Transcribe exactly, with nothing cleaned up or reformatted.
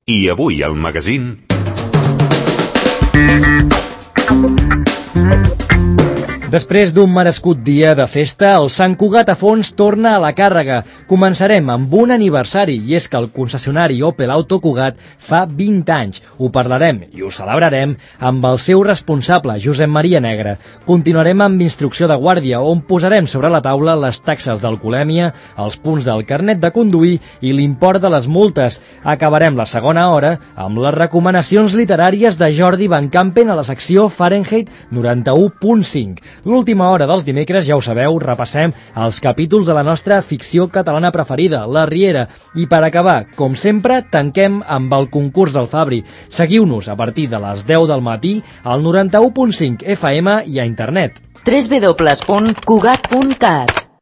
I avui al magazín... Després d'un merescut dia de festa, el Sant Cugat a fons torna a la càrrega. Començarem amb un aniversari, i és que el concessionari Opel Auto Cugat fa vint anys. Ho parlarem i ho celebrarem amb el seu responsable, Josep Maria Negre. Continuarem amb instrucció de guàrdia, on posarem sobre la taula les taxes d'alcoholèmia, els punts del carnet de conduir i l'import de les multes. Acabarem la segona hora amb les recomanacions literàries de Jordi Van Campen a la secció Fahrenheit noranta-u punt cinc. L'última hora dels dimecres, ja ho sabeu, repassem els capítols de la nostra ficció catalana preferida, La Riera. I per acabar, com sempre, tanquem amb el concurs del Fabri. Seguiu-nos a partir de les deu del matí al noranta-u punt cinc F M i a internet. w w w punt cugat punt cat